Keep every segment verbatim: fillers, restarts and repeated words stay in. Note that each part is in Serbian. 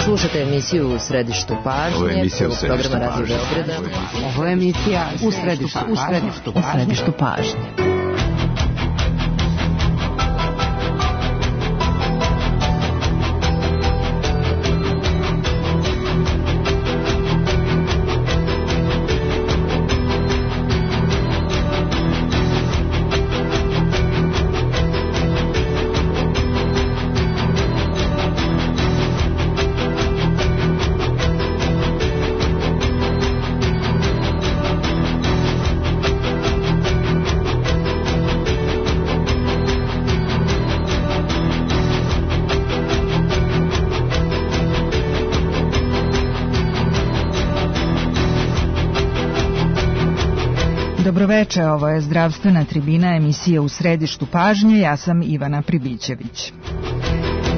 Slušate emisiju U središtu pažnje. Ovo je emisija U središtu pažnje. Ovo je emisija U središtu pažnje. U središtu pažnje. Dobroveče, ovo je zdravstvena tribina emisije U središtu pažnje, ja sam Ivana Pribićević.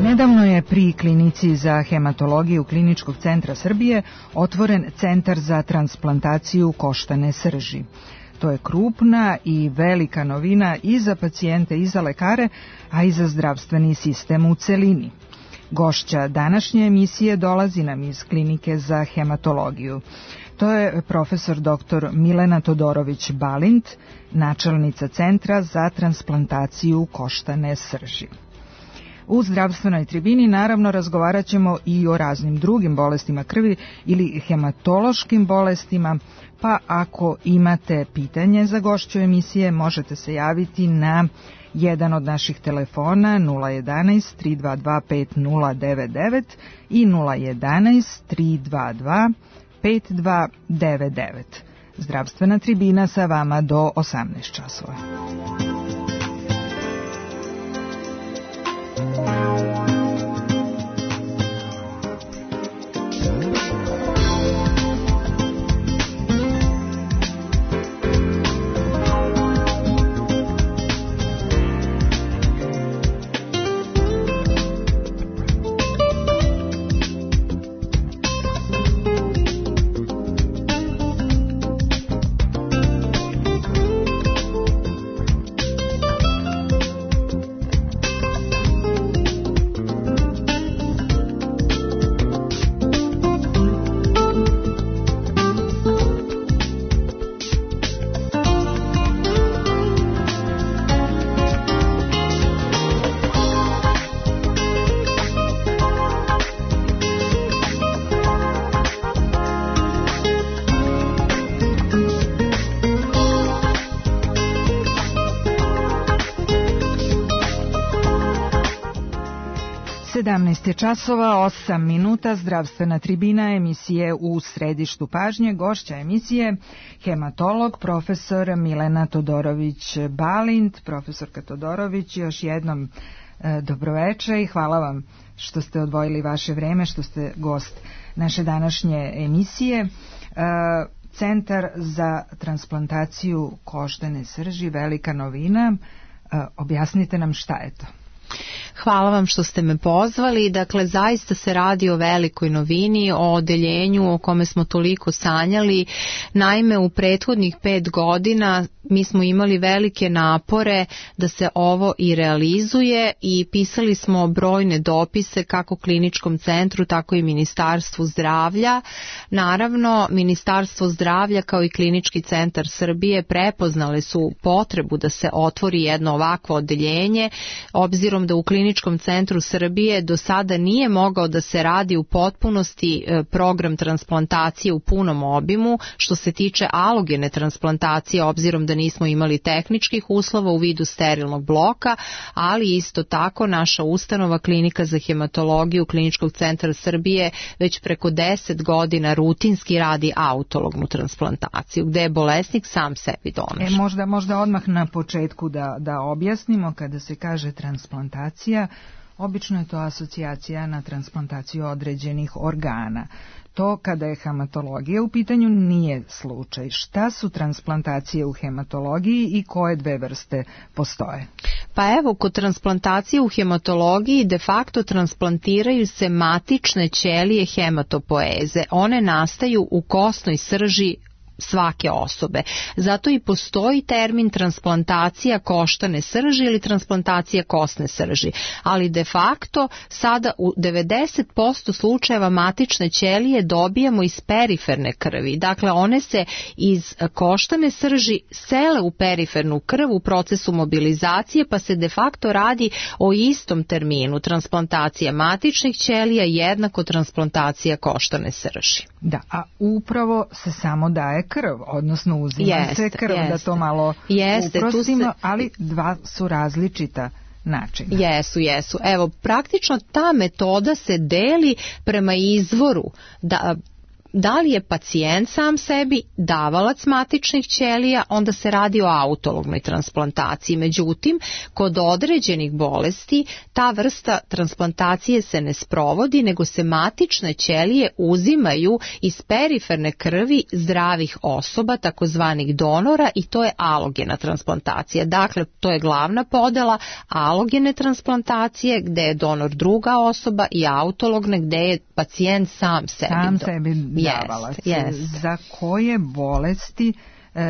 Nedavno je pri klinici za hematologiju Kliničkog centra Srbije otvoren centar za transplantaciju koštane srži. To je krupna i velika novina i za pacijente i za lekare, a i za zdravstveni sistem u celini. Gošća današnje emisije dolazi nam iz klinike za hematologiju. To je profesor doktor Milena Todorović-Balint, načelnica Centra za transplantaciju koštane srži. U zdravstvenoj tribini naravno razgovarat ćemo i o raznim drugim bolestima krvi ili hematološkim bolestima, pa ako imate pitanje za gošću emisije možete se javiti na jedan od naših telefona nula jedanaest tri dva dva pet nula devet devet i nula jedanaest tri dva dva pet dva devet devet. Zdravstvena tribina sa vama do osamnaest časova. sedamnaest je časova, osam minuta, zdravstvena tribina emisije U središtu pažnje. Gošća emisije hematolog profesor Milena Todorović-Balint. Profesorka Todorović, još jednom e, dobroveče i hvala vam što ste odvojili vaše vreme, što ste gost naše današnje emisije. E, Centar za transplantaciju koštane srži, velika novina. E, objasnite nam šta je to. Hvala vam što ste me pozvali. Dakle, zaista se radi o velikoj novini, o odeljenju o kome smo toliko sanjali. Naime, u prethodnih pet godina mi smo imali velike napore da se ovo i realizuje i pisali smo brojne dopise kako Kliničkom centru, tako i Ministarstvu zdravlja. Naravno, Ministarstvo zdravlja kao i Klinički centar Srbije prepoznale su potrebu da se otvori jedno ovakvo odeljenje, obzirom da u Kliničkom centru Srbije do sada nije mogao da se radi u potpunosti program transplantacije u punom obimu što se tiče alogene transplantacije, obzirom da nismo imali tehničkih uslova u vidu sterilnog bloka, ali isto tako naša ustanova Klinika za hematologiju Kliničkog centra Srbije već preko deset godina rutinski radi autolognu transplantaciju, gde je bolesnik sam sebi donaš. E, možda, možda odmah na početku da, da objasnimo, kada se kaže transplantacija, obično je to asocijacija na transplantaciju određenih organa. To kada je hematologija u pitanju nije slučaj. Šta su transplantacije u hematologiji i koje dve vrste postoje? Pa evo, kod transplantacije u hematologiji de facto transplantiraju se matične ćelije hematopoeze. One nastaju u kosnoj srži svake osobe. Zato i postoji termin transplantacija koštane srži ili transplantacija kosne srži, ali de facto sada u devedeset posto slučajeva matične ćelije dobijamo iz periferne krvi. Dakle, one se iz koštane srži sele u perifernu krv u procesu mobilizacije, pa se de facto radi o istom terminu. Transplantacija matičnih ćelija jednako transplantacija koštane srži. Da, a upravo se samo daje krv, odnosno uzima jest, se krv, jeste. Da to malo jeste, uprostimo, se... ali dva su različita načina. Jesu, jesu. Evo, praktično ta metoda se deli prema izvoru, da da li je pacijent sam sebi davalac matičnih ćelija, onda se radi o autolognoj transplantaciji. Međutim, kod određenih bolesti ta vrsta transplantacije se ne sprovodi, nego se matične ćelije uzimaju iz periferne krvi zdravih osoba, takozvanih donora, i to je alogena transplantacija. Dakle, to je glavna podela alogene transplantacije, gde je donor druga osoba, i autologne, gde je pacijent sam sebi. Sam do... sebi davalac. Jest, jest. Za koje bolesti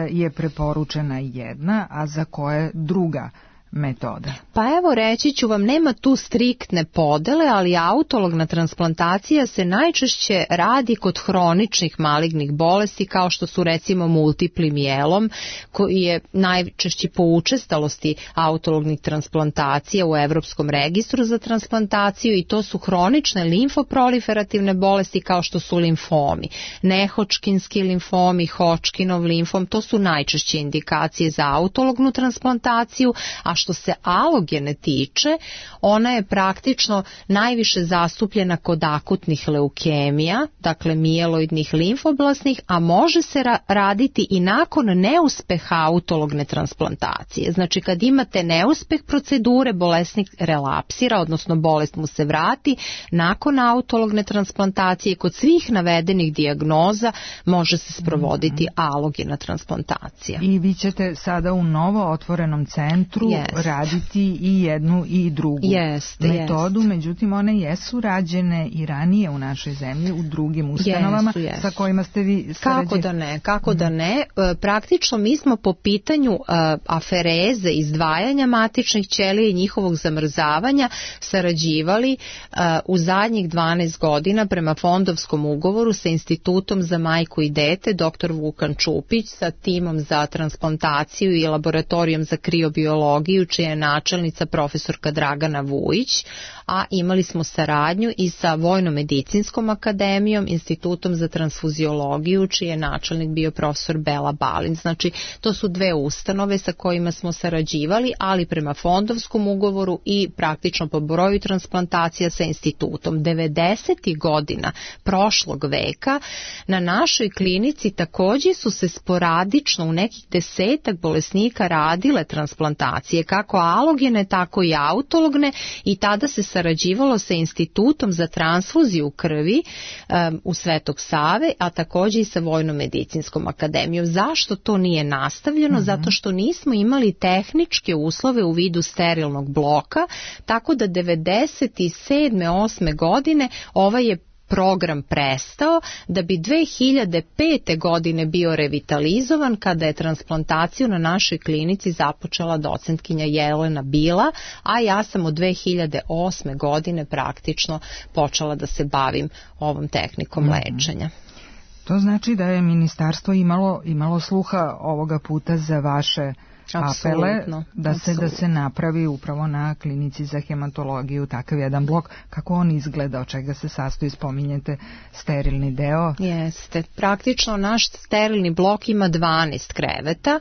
je preporučena jedna, a za koje druga metoda? Pa evo, reći ću vam, nema tu striktne podele, ali autologna transplantacija se najčešće radi kod hroničnih malignih bolesti, kao što su recimo multipli mijelom, koji je najčešći po učestalosti autolognih transplantacija u Evropskom registru za transplantaciju, i to su hronične limfoproliferativne bolesti kao što su limfomi. Nehodžkinski limfomi, Hodgkinov limfom, to su najčešće indikacije za autolognu transplantaciju, a što se alogene tiče, ona je praktično najviše zastupljena kod akutnih leukemija, dakle mijeloidnih limfoblasnih, a može se ra- raditi i nakon neuspeha autologne transplantacije. Znači, kad imate neuspeh procedure, bolesnik relapsira, odnosno bolest mu se vrati, nakon autologne transplantacije kod svih navedenih dijagnoza može se sprovoditi mm-hmm. alogena transplantacija. I vi ćete sada u novo otvorenom centru yes. raditi i jednu i drugu jest, metodu, jest. Međutim one jesu rađene i ranije u našoj zemlji u drugim ustanovama jesu, jesu. sa kojima ste vi sarađe... Kako da ne, kako mm. da ne. Praktično mi smo po pitanju uh, afereze, izdvajanja matičnih ćelija i njihovog zamrzavanja sarađivali uh, u zadnjih dvanaest godina prema fondovskom ugovoru sa Institutom za majku i dete, doktor Vukan Čupić, sa timom za transplantaciju i laboratorijom za kriobiologiju, čija je načelnica profesorka Dragana Vujić, a imali smo saradnju i sa Vojno-medicinskom akademijom, Institutom za transfuziologiju, čiji je načelnik bio profesor Bela Balin. Znači, to su dve ustanove sa kojima smo sarađivali, ali prema fondovskom ugovoru i praktično po broju transplantacija sa institutom. devedesetih godina prošlog veka na našoj klinici također su se sporadično u nekih desetak bolesnika radile transplantacije, kako alogene, tako i autologne, i tada se sarađivalo sa Institutom za transfuziju krvi um, u Svetog Save, a također i sa Vojno-medicinskom akademijom. Zašto to nije nastavljeno? Mm-hmm. Zato što nismo imali tehničke uslove u vidu sterilnog bloka, tako da devedeset sedme osme godine ovaj je program prestao, da bi dve hiljade pete godine bio revitalizovan, kada je transplantaciju na našoj klinici započela docentkinja Jelena Bila, a ja sam od dve hiljade osme godine praktično počela da se bavim ovom tehnikom mm-hmm. lečenja. To znači da je ministarstvo imalo, imalo sluha ovoga puta za vaše apele, da se, da se napravi upravo na klinici za hematologiju takav jedan blok. Kako on izgleda, od čega se sastoji, spominjete sterilni deo? Jeste, praktično naš sterilni blok ima dvanaest kreveta,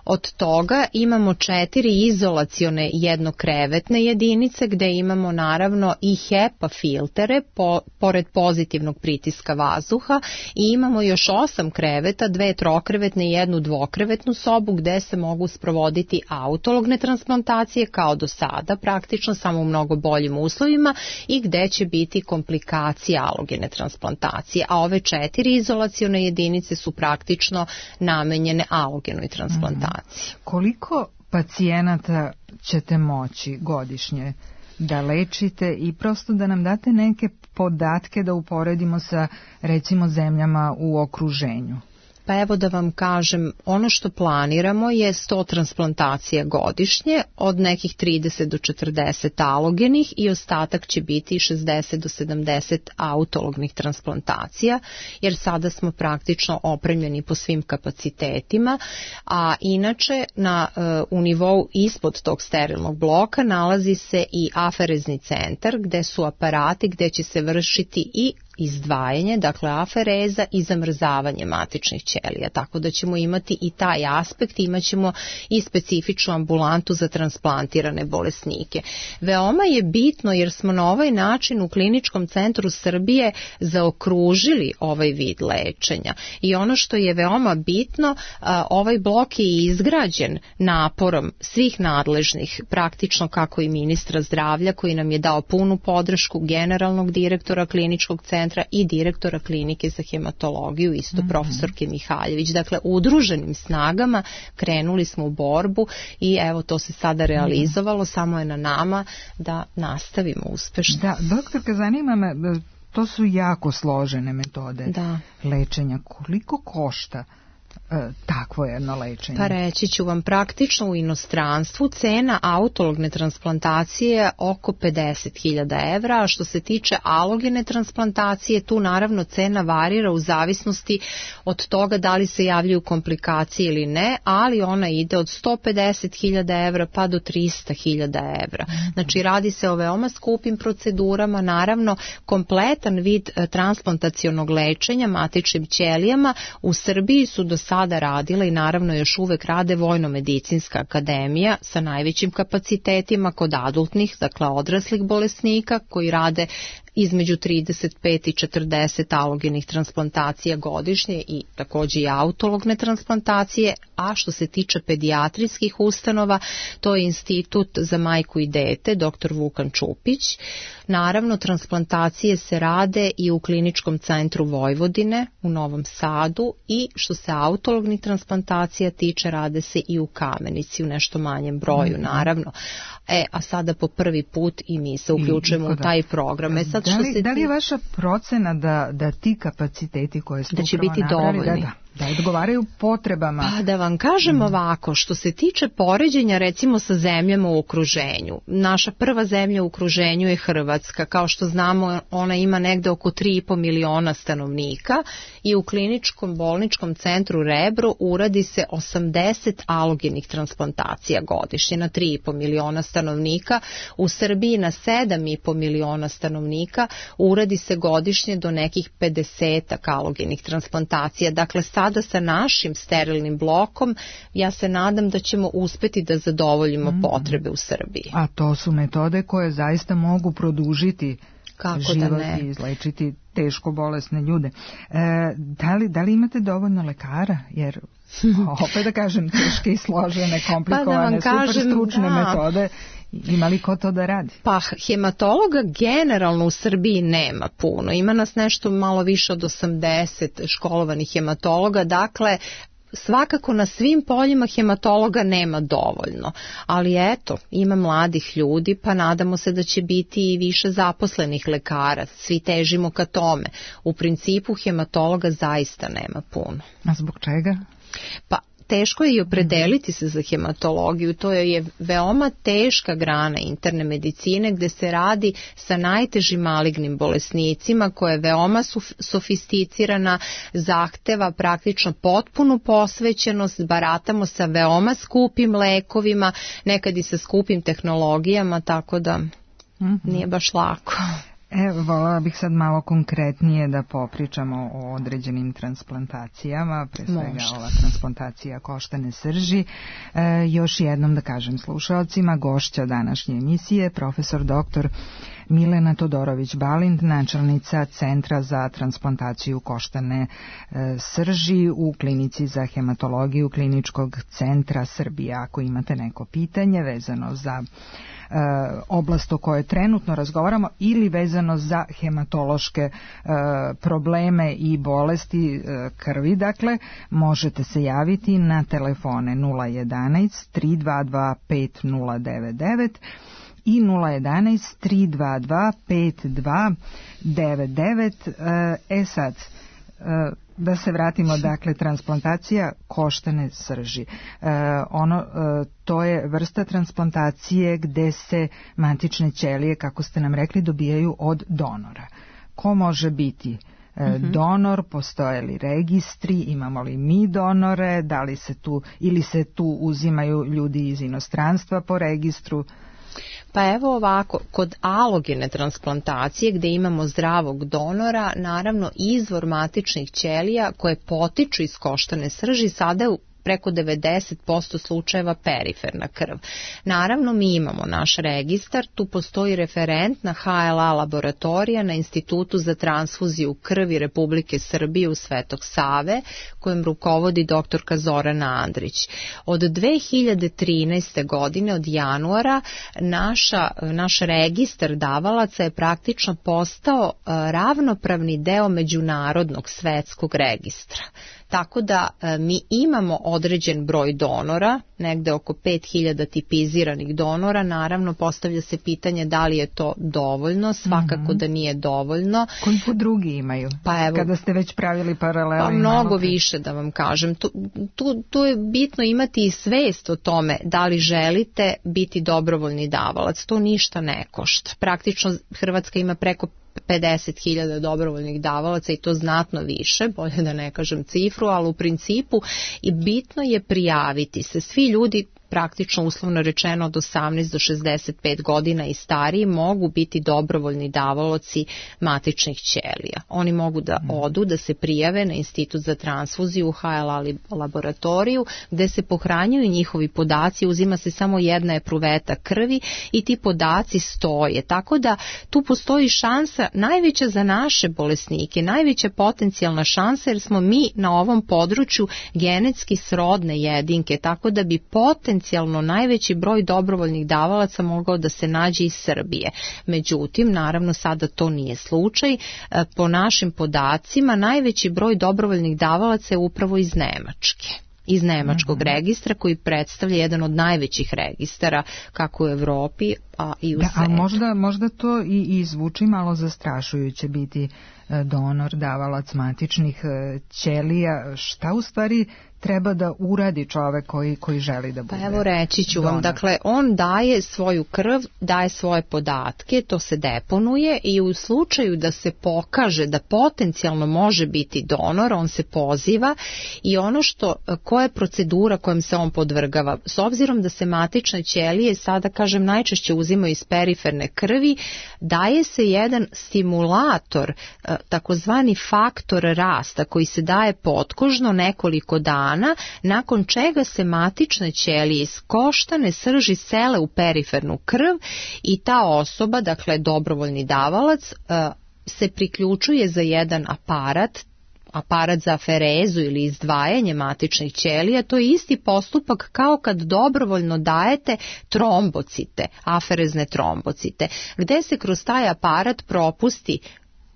od toga imamo četiri izolacione jednokrevetne jedinice gde imamo naravno i HEPA filtere po, pored pozitivnog pritiska vazduha, i imamo još osam kreveta, dve trokrevetne i jednu dvokrevetnu sobu gde se mogu sprovoditi autologne transplantacije kao do sada, praktično samo u mnogo boljim uslovima, i gde će biti komplikacije alogene transplantacije, a ove četiri izolacione jedinice su praktično namenjene alogenoj transplantaciji. Mm-hmm. Koliko pacijenata ćete moći godišnje da lečite, i prosto da nam date neke podatke da uporedimo sa recimo zemljama u okruženju? Pa evo da vam kažem, ono što planiramo je sto transplantacija godišnje, od nekih trideset do četrdeset alogenih i ostatak će biti šezdeset do sedamdeset autolognih transplantacija, jer sada smo praktično opremljeni po svim kapacitetima, a inače na, u nivou ispod tog sterilnog bloka nalazi se i aferezni centar gde su aparati gde će se vršiti i izdvajanje, dakle afereza i zamrzavanje matičnih ćelija, tako da ćemo imati i taj aspekt, imat ćemo i specifičnu ambulantu za transplantirane bolesnike. Veoma je bitno jer smo na ovaj način u Kliničkom centru Srbije zaokružili ovaj vid lečenja i ono što je veoma bitno, ovaj blok je izgrađen naporom svih nadležnih, praktično kako i ministra zdravlja koji nam je dao punu podršku, generalnog direktora Kliničkog centra i direktora klinike za hematologiju, isto mm-hmm. profesorke Mihaljević. Dakle, udruženim snagama krenuli smo u borbu i evo to se sada realizovalo, mm-hmm. samo je na nama da nastavimo uspešno. Da, doktorka, zanima me, to su jako složene metode da. lečenja. Koliko košta E, takvo jedno lečenje? Pa reći ću vam, praktično u inostranstvu cena autologne transplantacije je oko pedeset hiljada evra, a što se tiče alogene transplantacije, tu naravno cena varira u zavisnosti od toga da li se javljaju komplikacije ili ne, ali ona ide od sto pedeset hiljada evra pa do trista hiljada evra. Znači radi se o veoma skupim procedurama, naravno kompletan vid transplantacionog lečenja matičnim ćelijama u Srbiji su do sada radila i naravno još uvek rade Vojno-medicinska akademija sa najvećim kapacitetima kod adultnih, dakle odraslih bolesnika koji rade između trideset pet i četrdeset alogenih transplantacija godišnje i takođe i autologne transplantacije, a što se tiče pedijatrijskih ustanova, to je Institut za majku i dete, doktor Vukan Čupić. Naravno, transplantacije se rade i u Kliničkom centru Vojvodine u Novom Sadu i što se autolognih transplantacija tiče, rade se i u Kamenici u nešto manjem broju, naravno. E, a sada po prvi put i mi se uključujemo I, u taj program. E, sad da, li, što se da li je vaša procena da, da ti kapaciteti koje ste da će biti napravili, dovoljni? Da, da. Da odgovaraju potrebama. Pa da vam kažem ovako, što se tiče poređenja recimo sa zemljama u okruženju. Naša prva zemlja u okruženju je Hrvatska. Kao što znamo, ona ima negde oko tri i po miliona stanovnika i u Kliničkom bolničkom centru Rebro uradi se osamdeset alogenih transplantacija godišnje na tri i po miliona stanovnika. U Srbiji na sedam i po miliona stanovnika uradi se godišnje do nekih pedeset alogenih transplantacija. Dakle, sada sa našim sterilnim blokom ja se nadam da ćemo uspeti da zadovoljimo mm. potrebe u Srbiji. A to su metode koje zaista mogu produžiti Kako život da ne? I izlečiti teško bolesne ljude. E, da, li, da li imate dovoljno lekara? Jer opet da kažem, teške i složene, komplikovane, pa da super stručne da. metode. Ima li ko to da radi? Pa hematologa generalno u Srbiji nema puno. Ima nas nešto malo više od osamdeset školovanih hematologa, dakle svakako na svim poljima hematologa nema dovoljno, ali eto, ima mladih ljudi, pa nadamo se da će biti i više zaposlenih lekara, svi težimo ka tome. U principu hematologa zaista nema puno. A zbog čega? Pa teško je i opredeliti se za hematologiju, to je veoma teška grana interne medicine gde se radi sa najtežim malignim bolesnicima koja je veoma sofisticirana, zahteva praktično potpunu posvećenost, baratamo sa veoma skupim lekovima, nekad i sa skupim tehnologijama, tako da nije baš lako. Evo, voljela bih sad malo konkretnije da popričamo o određenim transplantacijama, pre svega Možda. ova transplantacija koštane srži. E, još jednom da kažem slušalcima, gošća današnje emisije, profesor doktor Milena Todorović-Balint, načelnica Centra za transplantaciju koštane e, srži u Klinici za hematologiju Kliničkog centra Srbije. Ako imate neko pitanje vezano za e, oblast o kojoj trenutno razgovaramo ili vezano za hematološke e, probleme i bolesti e, krvi, dakle, možete se javiti na telefone nula jedanaest tri dva dva pet nula devet devet i nula jedanaest tri dva dva pet dva devet devet. E sad, Da se vratimo, dakle, transplantacija koštane srži. E, ono, e, to je vrsta transplantacije gde se matične ćelije, kako ste nam rekli, dobijaju od donora. Ko može biti e, mm-hmm. donor, postoje li registri, imamo li mi donore, da li se tu, ili se tu uzimaju ljudi iz inostranstva po registru? Pa evo ovako, kod alogene transplantacije gde imamo zdravog donora, naravno izvor matičnih ćelija koje potiču iz koštane srži sada je preko devedeset posto slučajeva periferna krv. Naravno, mi imamo naš registar, tu postoji referentna ha el a laboratorija na Institutu za transfuziju krvi Republike Srbije u Svetog Save, kojem rukovodi doktorka Zorana Andrić. Od dve hiljade trinaeste. godine, od januara, naša, naš registar davalaca je praktično postao ravnopravni deo međunarodnog svetskog registra. Tako da e, mi imamo određen broj donora, negde oko pet hiljada tipiziranih donora, naravno postavlja se pitanje da li je to dovoljno, svakako mm-hmm. da nije dovoljno. Koliko drugi imaju? Pa evo, kada ste već pravili paralelu? Pa mnogo više, da vam kažem. Tu, tu, tu je bitno imati i svest o tome da li želite biti dobrovoljni davalac, to ništa ne košta. Praktično Hrvatska ima preko pedeset hiljada dobrovoljnih davalaca i to znatno više, bolje da ne kažem cifru, ali u principu i bitno je prijaviti se. Svi ljudi praktično uslovno rečeno od osamnaest do šezdeset pet godina i stariji mogu biti dobrovoljni davalaci matičnih ćelija. Oni mogu da odu, da se prijave na Institut za transfuziju u ha el a laboratoriju gde se pohranjuju njihovi podaci, uzima se samo jedna epruveta krvi i ti podaci stoje. Tako da tu postoji šansa najveća za naše bolesnike, najveća potencijalna šansa jer smo mi na ovom području genetski srodne jedinke, tako da bi potencijalno potencijalno najveći broj dobrovoljnih davalaca mogao da se nađe iz Srbije. Međutim, naravno sada to nije slučaj. Po našim podacima, najveći broj dobrovoljnih davalaca je upravo iz Nemačke. Iz nemačkog mm-hmm. registra koji predstavlja jedan od najvećih registara kako u Evropi, a i u da, svetu. A možda, možda to i, i zvuči malo zastrašujuće biti donor, davalac matičnih ćelija. Šta u stvari treba da uradi čovek koji, koji želi da bude? Pa evo reći ću vam, dakle on daje svoju krv, daje svoje podatke, to se deponuje i u slučaju da se pokaže da potencijalno može biti donor, on se poziva i ono što, koja je procedura kojom se on podvrgava, s obzirom da se matične ćelije sada kažem najčešće uzimaju iz periferne krvi, daje se jedan stimulator, takozvani faktor rasta koji se daje potkožno nekoliko dana, nakon čega se matične ćelije iz koštane srži sele u perifernu krv i ta osoba, dakle dobrovoljni davalac, se priključuje za jedan aparat, aparat za aferezu ili izdvajanje matičnih ćelija, to je isti postupak kao kad dobrovoljno dajete trombocite, aferezne trombocite, gde se kroz taj aparat propusti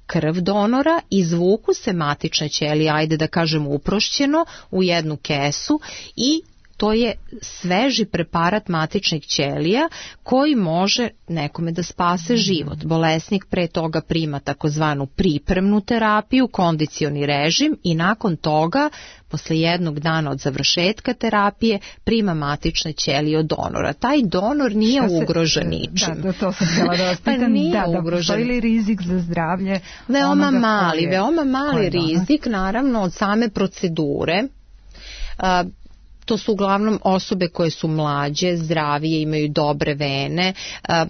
krv donora, izvuku se matične ćelije, ajde da kažem uprošćeno, u jednu kesu i to je sveži preparat matičnih ćelija koji može nekome da spase život. Bolesnik pre toga prima takozvanu pripremnu terapiju, kondicioni režim i nakon toga, posle jednog dana od završetka terapije, prima matične ćelije od donora. Taj donor nije se, ugrožen ničim. Da, da, to sam htjela da vas pitam. Pa nije da, da, ugrožen. Postoji li rizik za zdravlje? Veoma mali, je, veoma mali rizik, naravno, od same procedure. A, To su uglavnom osobe koje su mlađe, zdravije, imaju dobre vene.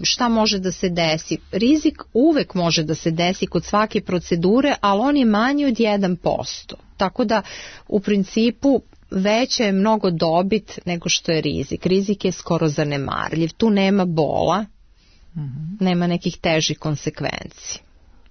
Šta može da se desi? Rizik uvek može da se desi kod svake procedure, ali on je manji od jedan posto. Tako da u principu veće je mnogo dobit nego što je rizik. Rizik je skoro zanemarljiv. Tu nema bola, mm-hmm. nema nekih težih konsekvenci.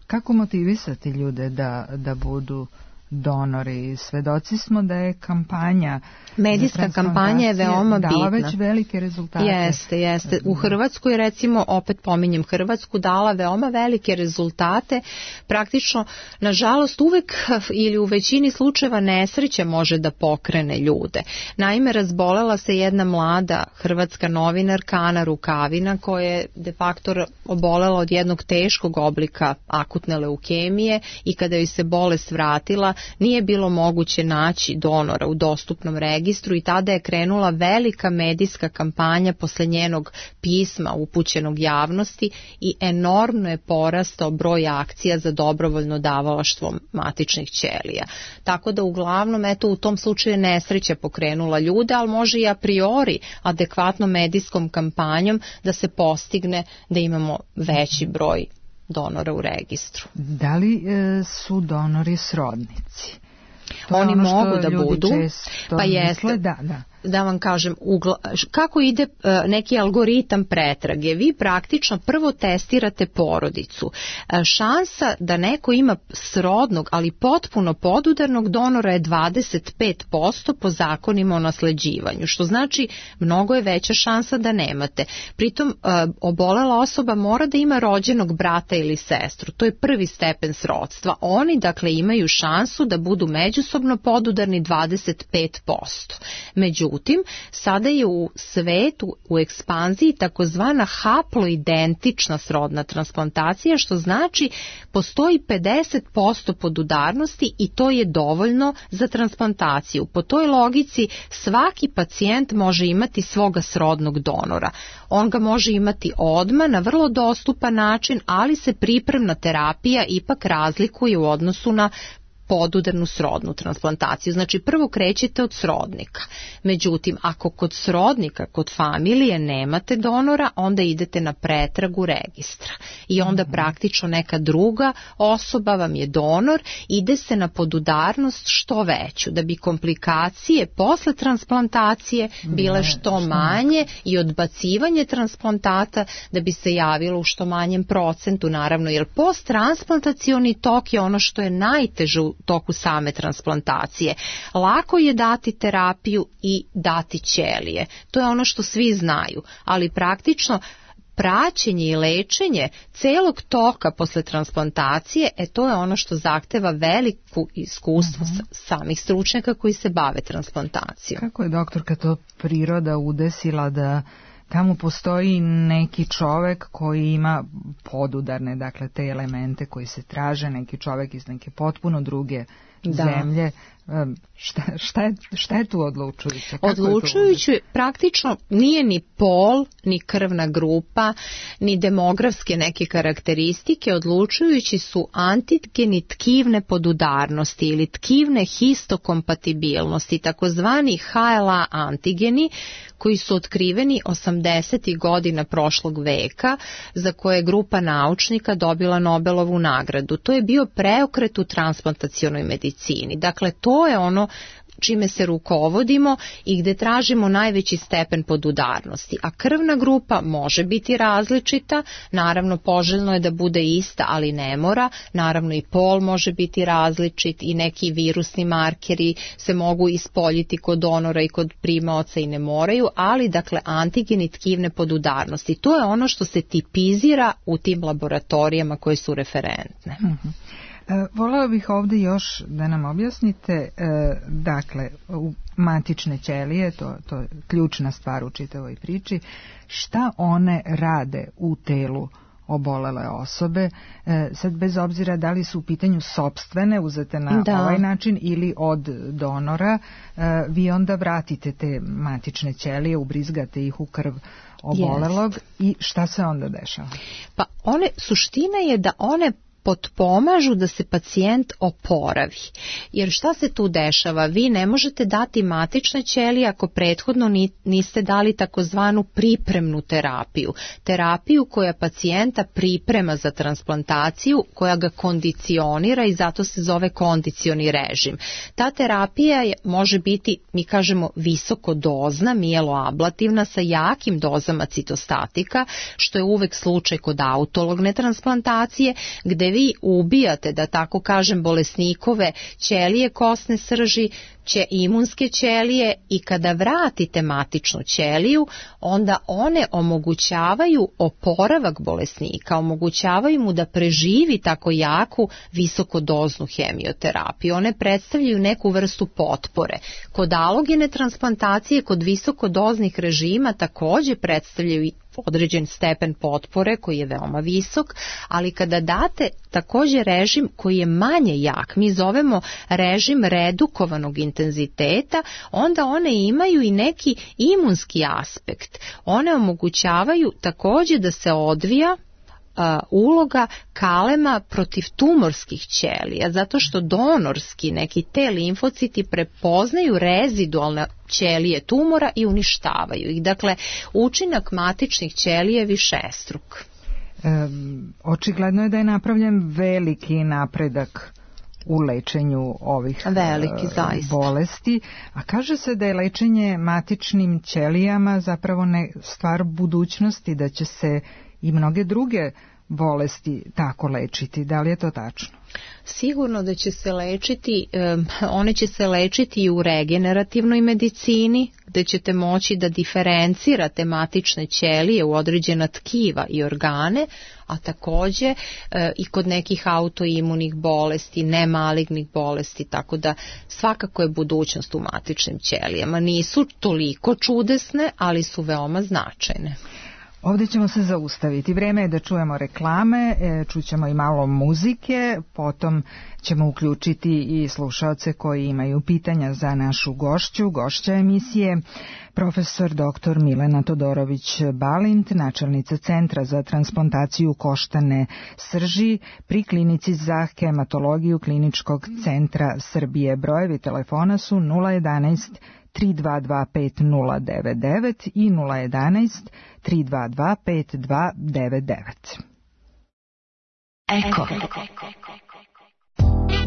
Kako motivisati ljude da, da budu donori? Svedoci smo da je kampanja, medijska kampanja je veoma bitna. Dala već velike rezultate. Jeste, jeste. U Hrvatskoj, recimo, opet pominjem Hrvatsku, dala veoma velike rezultate. Praktično, nažalost, uvek ili u većini slučajeva nesreća može da pokrene ljude. Naime, razbolela se jedna mlada hrvatska novinarka Ana Rukavina koja je de facto obolela od jednog teškog oblika akutne leukemije i kada joj se bolest vratila, nije bilo moguće naći donora u dostupnom registru i tada je krenula velika medijska kampanja posle njenog pisma upućenog javnosti i enormno je porastao broj akcija za dobrovoljno davalaštvo matičnih ćelija. Tako da uglavnom eto u tom slučaju je nesreća pokrenula ljude, ali može i a priori adekvatnom medijskom kampanjom da se postigne da imamo veći broj donora u registru. Da li e, su donori srodnici? To Oni ono mogu da budu, pa jeste, da, da. Da vam kažem, ugla, kako ide uh, neki algoritam pretrage. Vi praktično prvo testirate porodicu. Uh, šansa da neko ima srodnog, ali potpuno podudarnog donora je dvadeset pet posto po zakonima o nasleđivanju, što znači mnogo je veća šansa da nemate. Pritom uh, obolela osoba mora da ima rođenog brata ili sestru. To je prvi stepen srodstva. Oni dakle imaju šansu da budu međusobno podudarni dvadeset pet posto. Međutim, Međutim, sada je u svetu u ekspanziji takozvana haploidentična srodna transplantacija, što znači postoji pedeset posto podudarnosti i to je dovoljno za transplantaciju. Po toj logici svaki pacijent može imati svoga srodnog donora. On ga može imati odmah na vrlo dostupan način, ali se pripremna terapija ipak razlikuje u odnosu na podudarnu srodnu transplantaciju. Znači prvo krećete od srodnika. Međutim, ako kod srodnika, kod familije nemate donora, onda idete na pretragu registra. I onda praktično neka druga osoba vam je donor, ide se na podudarnost što veću, da bi komplikacije posle transplantacije bile što manje i odbacivanje transplantata da bi se javilo u što manjem procentu, naravno, jer posttransplantacioni tok je ono što je najteže u toku same transplantacije. Lako je dati terapiju i dati ćelije. To je ono što svi znaju, ali praktično praćenje i lečenje celog toka posle transplantacije, e to je ono što zahteva veliku iskustvo uh-huh. samih stručnjaka koji se bave transplantacijom. Kako je doktorka to priroda udesila da tamo postoji neki čovek koji ima podudarne, dakle te elemente koji se traže, neki čovek iz neke potpuno druge da. zemlje. Šta, šta, je, šta je tu odlučujuće? Odlučujuće praktično nije ni pol, ni krvna grupa, ni demografske neke karakteristike, odlučujući su antigeni tkivne podudarnosti ili tkivne histokompatibilnosti, takozvani H L A antigeni koji su otkriveni osamdesetih godina prošlog veka, za koje je grupa naučnika dobila Nobelovu nagradu. To je bio preokret u transplantacionoj medicini. Dakle, to je ono čime se rukovodimo i gde tražimo najveći stepen podudarnosti. A krvna grupa može biti različita, naravno poželjno je da bude ista, ali ne mora, naravno i pol može biti različit i neki virusni markeri se mogu ispoljiti kod donora i kod primaoca i ne moraju, ali dakle antigeni tkivne podudarnosti. To je ono što se tipizira u tim laboratorijama koje su referentne. Mhm. Voleo bih ovdje još da nam objasnite, dakle, u matične ćelije, to, to je ključna stvar u čitavoj priči, šta one rade u telu obolele osobe, sad bez obzira da li su u pitanju sopstvene, uzete na da. ovaj način ili od donora, vi onda vratite te matične ćelije, ubrizgate ih u krv obolelog yes. i šta se onda dešava? Pa one, suština je da one potpomažu da se pacijent oporavi. Jer šta se tu dešava? Vi ne možete dati matične ćelije ako prethodno niste dali takozvanu pripremnu terapiju. Terapiju koja pacijenta priprema za transplantaciju, koja ga kondicionira i zato se zove kondicioni režim. Ta terapija je, može biti, mi kažemo, visokodozna, mijeloablativna sa jakim dozama citostatika, što je uvek slučaj kod autologne transplantacije, gde vi ubijate, da tako kažem, bolesnikove ćelije kosne srži, će imunske ćelije i kada vratite matičnu ćeliju, onda one omogućavaju oporavak bolesnika, omogućavaju mu da preživi tako jaku visokodoznu hemioterapiju. One predstavljaju neku vrstu potpore. Kod alogene transplantacije, kod visokodoznih režima također predstavljaju određen stepen potpore koji je veoma visok, ali kada date također režim koji je manje jak, mi zovemo režim redukovanog intenziteta, onda one imaju i neki imunski aspekt. One omogućavaju također da se odvija uloga kalema protiv tumorskih ćelija, zato što donorski neki te limfociti prepoznaju rezidualne ćelije tumora i uništavaju ih. Dakle, učinak matičnih ćelija je višestruk. E, očigledno je da je napravljen veliki napredak u lečenju ovih Veliki, zaista. bolesti, a kaže se da je lečenje matičnim ćelijama zapravo ne stvar budućnosti, da će se i mnoge druge bolesti tako lečiti. Da li je to tačno? Sigurno da će se lečiti, one će se lečiti i u regenerativnoj medicini, gde ćete moći da diferencirate matične ćelije u određena tkiva i organe, a takođe i kod nekih autoimunih bolesti, nemalignih bolesti, tako da svakako je budućnost u matičnim ćelijama. Nisu toliko čudesne, ali su veoma značajne. Ovdje ćemo se zaustaviti. Vreme je da čujemo reklame, čućemo i malo muzike, potom ćemo uključiti i slušaoce koji imaju pitanja za našu gošću, gošća emisije, profesor doktor Milena Todorović-Balint, načelnica Centra za transplantaciju koštane srži pri Klinici za hematologiju Kliničkog centra Srbije. Brojevi telefona su nula jedanaest tri dva dva pet nula devet devet i nula jedanaest tri dva dva pet dva devet devet. Eko.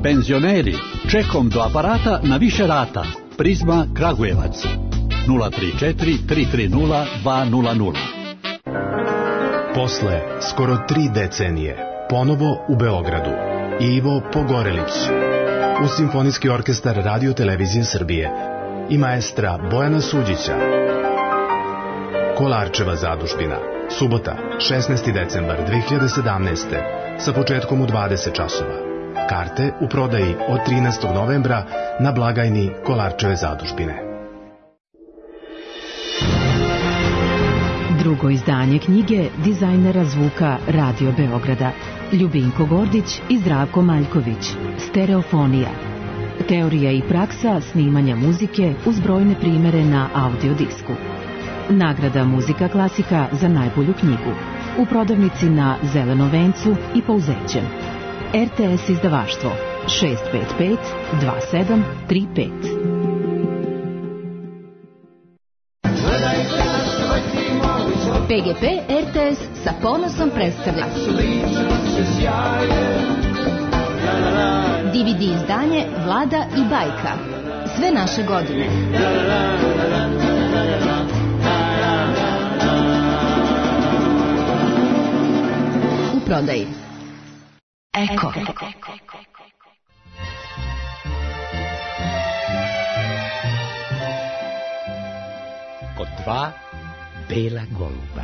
Penzioneri, čekom do aparata na više rata. Prizma Kragujevac. nula tri četiri tri tri nula dva nula nula. Posle skoro tri decenije, ponovo u Beogradu. Ivo Pogorelić. U Simfonijski orkestar Radio Televizije Srbije i maestra Bojana Suđića. Kolarčeva zadužbina. Subota, šesnaesti decembar dve hiljade sedamnaeste. sa početkom u dvadeset časova. Karte u prodaji od trinaestog novembra na blagajni Kolarčeve zadužbine. Drugo izdanje knjige dizajnera zvuka Radio Beograda Ljubinko Gordić i Zdravko Maljković. Stereofonija. Teorija i praksa snimanja muzike uz brojne primere na audiodisku. Nagrada Muzika klasika za najbolju knjigu. U prodavnici na Zelenom vencu i Pouzećem. R T S izdavaštvo šest pet pet dva sedam tri pet. P G P R T S sa ponosom predstavlja D V D izdanje Vlada i bajka. Sve naše godine. U prodaji. Eko. Kod dva bela goluba.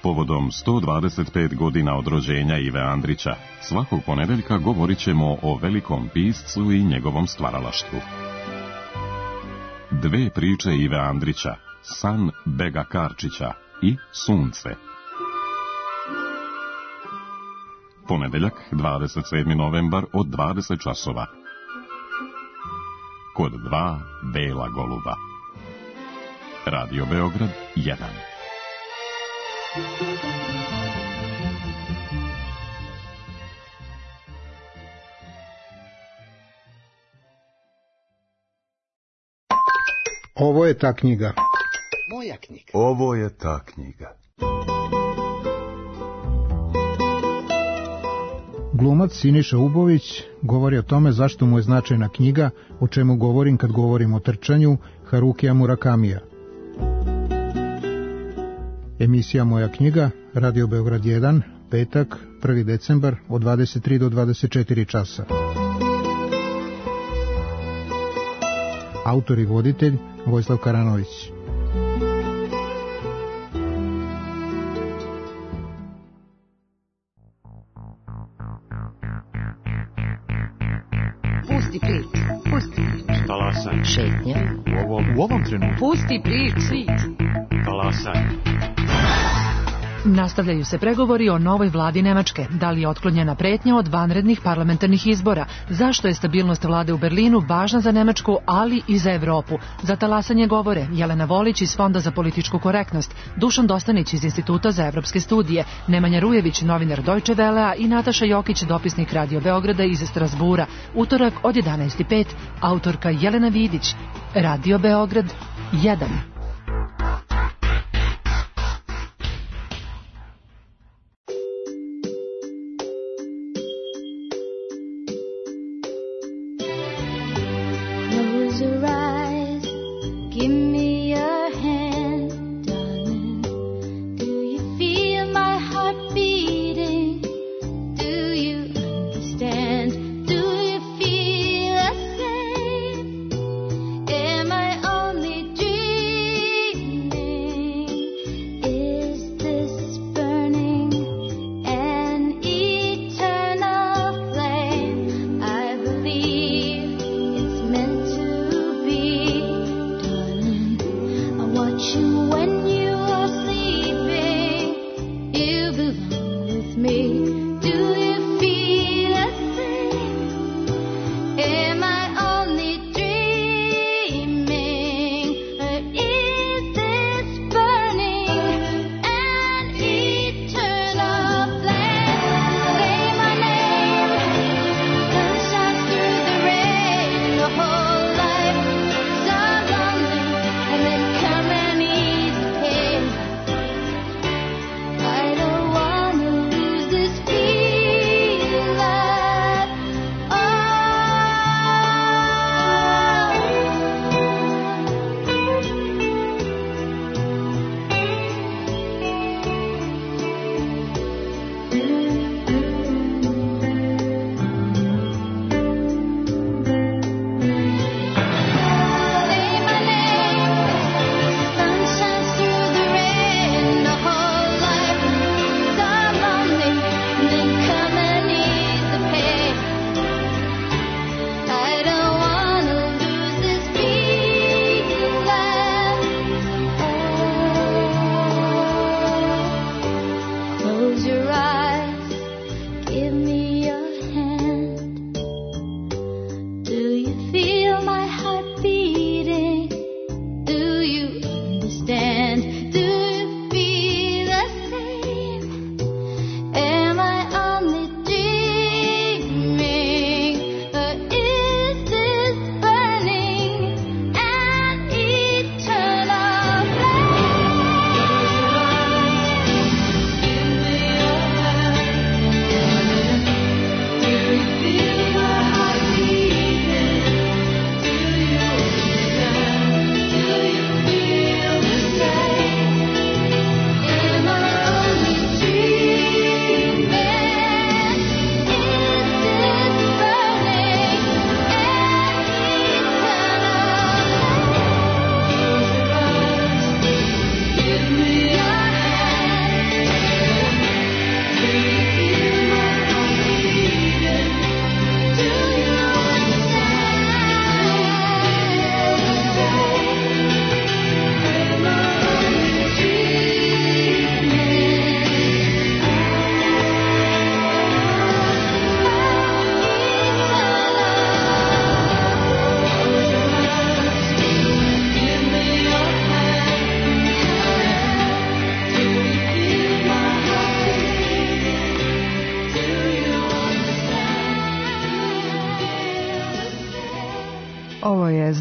Povodom sto dvadeset pet godina od rođenja Ive Andrića, svakog ponedeljka govorit ćemo o velikom piscu i njegovom stvaralaštvu. Dve priče Ive Andrića, San Bega Karčića i Sunce. Ponedeljak, dvadeset sedmi novembar od dvadeset časova. Kod dva bela goluba. Radio Beograd jedan. Ovo je ta knjiga. Moja knjiga. Ovo je ta knjiga. Glumac Siniša Ubović govori o tome zašto mu je značajna knjiga, o čemu govorim kad govorim o trčanju, Harukija Murakamija. Emisija Moja knjiga, Radio Beograd jedan, petak, prvi decembar, od dvadeset tri do dvadeset četiri časa. Autor i voditelj Vojislav Karanović. Pusti prič, pusti prič. Talasaj. Šetnja. U ovom, u ovom trenutku. Pusti prič. Talasaj. Nastavljaju se pregovori o novoj vladi Nemačke. Da li je otklonjena pretnja od vanrednih parlamentarnih izbora? Zašto je stabilnost vlade u Berlinu važna za Nemačku, ali i za Evropu? Za talasanje govore Jelena Volić iz Fonda za političku korektnost, Dušan Dostanić iz Instituta za evropske studije, Nemanja Rujević, novinar Deutsche Wellea i Nataša Jokić, dopisnik Radio Beograda iz Strasbura. Utorak od jedanaest i pet, autorka Jelena Vidić. Radio Beograd jedan.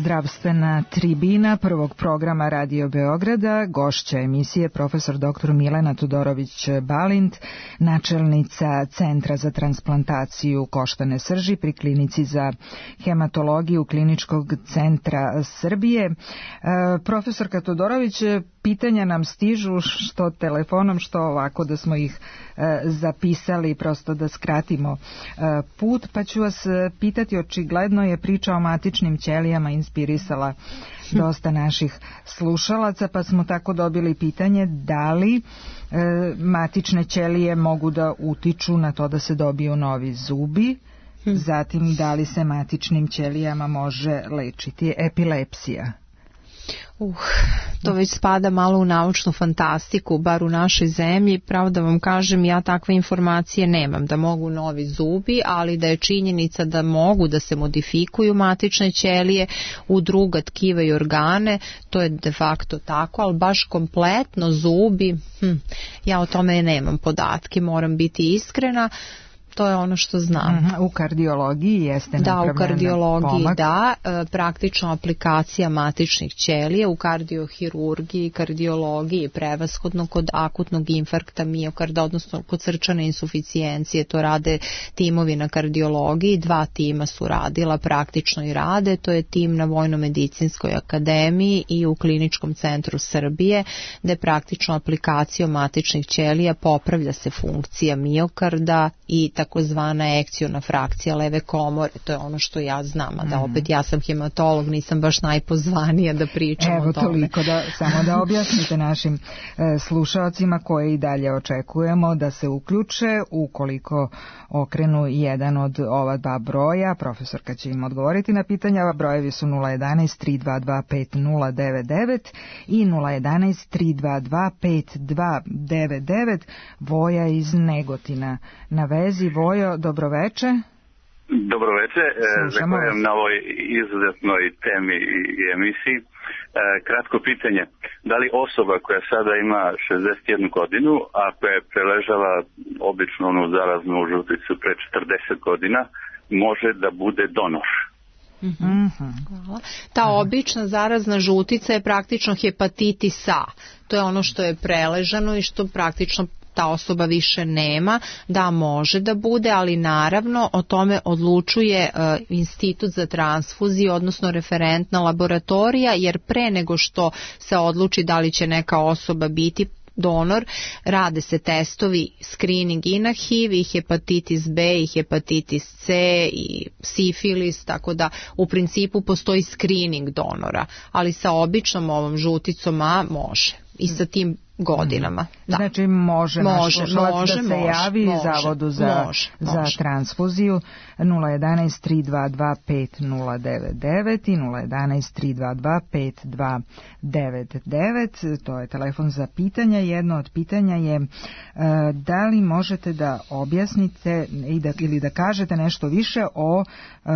Zdravstvena tribina prvog programa Radio Beograda, gošća emisije profesor doktor Milena Todorović-Balint, načelnica Centra za transplantaciju koštane srži pri Klinici za hematologiju Kliničkog centra Srbije. E, profesorka Todorović, pitanja nam stižu što telefonom, što ovako da smo ih e, zapisali prosto da skratimo e, put, pa ću vas pitati, očigledno je priča o matičnim ćelijama inspirisala dosta naših slušalaca, pa smo tako dobili pitanje da li e, matične ćelije mogu da utiču na to da se dobiju novi zubi, zatim da li se matičnim ćelijama može lečiti epilepsija. Uh, to već spada malo u naučnu fantastiku, bar u našoj zemlji. Pravo da vam kažem, ja takve informacije nemam, da mogu novi zubi, ali da je činjenica da mogu da se modifikuju matične ćelije u druga tkiva i organe, to je de facto tako, ali baš kompletno zubi, hm, ja o tome nemam podatke, moram biti iskrena. To je ono što znam. U kardiologiji jeste da, napravljena u kardiologiji pomak. Da, praktično aplikacija matičnih ćelija, u kardiohirurgiji, kardiologiji, prevashodno kod akutnog infarkta miokarda, odnosno kod srčane insuficijencije, to rade timovi na kardiologiji, dva tima su radila praktično i rade, to je tim na Vojno-medicinskoj akademiji i u Kliničkom centru Srbije, gde praktično aplikacijom matičnih ćelija popravlja se funkcija miokarda i takozvana ekciona frakcija leve komore, to je ono što ja znam, a da opet ja sam hematolog, nisam baš najpozvanija da pričam Evo, o tome. Evo toliko, da, samo da objasnite našim e, slušalcima koje i dalje očekujemo da se uključe ukoliko okrenu jedan od ova dva broja. Profesorka će im odgovoriti na pitanja. Brojevi su nula jedanaest tri dva dva pet nula devet devet i nula jedanaest tri dva dva pet dva devet devet. Voja iz Negotina na vezi. Vojo, dobroveče. Dobroveče, zahvaljujem na ovoj izuzetnoj temi i emisiji. Kratko pitanje, da li osoba koja sada ima šezdeset jednu godinu, a koja je preležala obično onu zaraznu žuticu pre četrdeset godina, može da bude donor? Mm-hmm. Hvala. Ta obična zarazna žutica je praktično hepatitis A. To je ono što je preležano i što praktično ta osoba više nema, da može da bude, ali naravno o tome odlučuje uh, Institut za transfuziju, odnosno referentna laboratorija, jer pre nego što se odluči da li će neka osoba biti donor, rade se testovi, screening i na H I V, i hepatitis B, i hepatitis C, i sifilis, tako da u principu postoji screening donora, ali sa običnom ovom žuticom A može i sa tim godinama. Da. Znači može, može naš slušalac može, da se može, javi može, Zavodu za, može, za može. transfuziju nula jedanaest tri dva dva pet nula devet devet i nula jedanaest tri dva dva pet dva devet devet. To je telefon za pitanja. Jedno od pitanja je uh, da li možete da objasnite i da, ili da kažete nešto više o uh,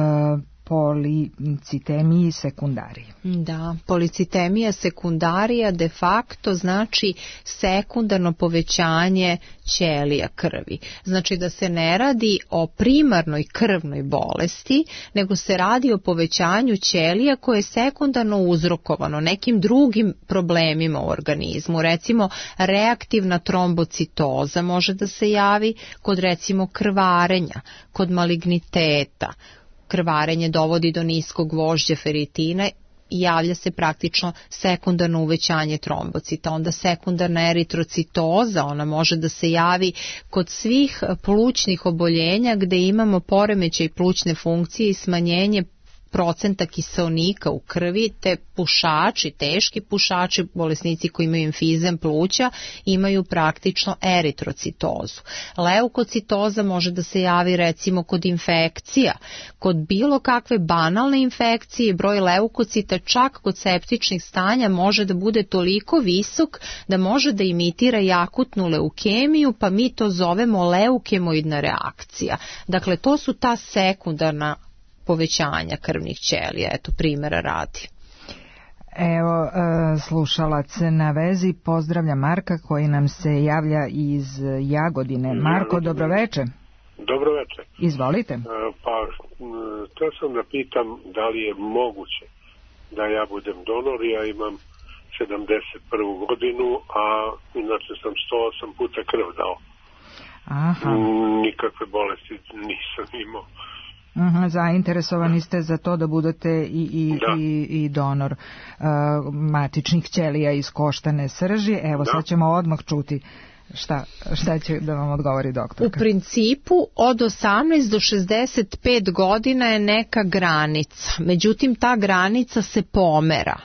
policitemiji sekundarije. Da, policitemija sekundarija de facto znači sekundarno povećanje ćelija krvi. Znači da se ne radi o primarnoj krvnoj bolesti, nego se radi o povećanju ćelija koje je sekundarno uzrokovano nekim drugim problemima u organizmu. Recimo reaktivna trombocitoza može da se javi kod recimo krvarenja, kod maligniteta. Krvarenje dovodi do niskog gvožđa feritina i javlja se praktično sekundarno uvećanje trombocita. Onda sekundarna eritrocitoza, ona može da se javi kod svih plućnih oboljenja gde imamo poremećaj plućne funkcije i smanjenje procenta kiseonika u krvi, te pušači, teški pušači, bolesnici koji imaju emfizem pluća, imaju praktično eritrocitozu. Leukocitoza može da se javi recimo kod infekcija, kod bilo kakve banalne infekcije, broj leukocita čak kod septičnih stanja može da bude toliko visok da može da imitira i akutnu leukemiju, pa mi to zovemo leukemoidna reakcija. Dakle, to su ta sekundarna povećanja krvnih ćelija, eto primjera radi. Evo, slušalac na vezi, pozdravlja Marka koji nam se javlja iz Jagodine. Marko, dobroveče. Dobroveče. Izvolite. Pa, to sam da pitam da li je moguće da ja budem donor, ja imam sedamdeset prvu godinu, a inače sam sto osam puta krv dao. Aha. Nikakve bolesti nisam imao. Aha, zainteresovani ste za to da budete i, i, da. i, i donor uh, matičnih ćelija iz koštane srži. Evo, da. Sad ćemo odmah čuti šta, šta će da vam odgovori doktorka. U principu od osamnaest do šezdeset pet godina je neka granica, međutim ta granica se pomera.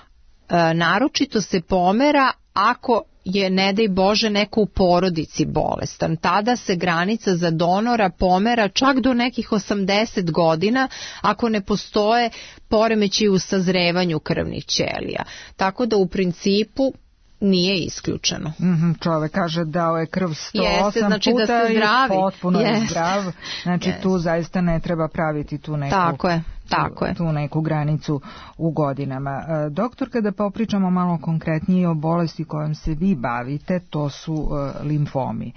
E, naročito se pomera ako je, ne daj Bože, neko u porodici bolestan. Tada se granica za donora pomera čak do nekih osamdeset godina ako ne postoje poremećaji u sazrevanju krvnih ćelija. Tako da u principu nije isključeno. Mm-hmm, čovek kaže dao je krv sto osam Jeste, znači puta da se zdravi. I potpuno yes. je zdrav. Znači yes. tu zaista ne treba praviti tu neku, tako je, tako je. Tu, tu neku granicu u godinama. E, doktor, kada popričamo malo konkretnije o bolesti kojom se vi bavite, to su e, limfomi. E,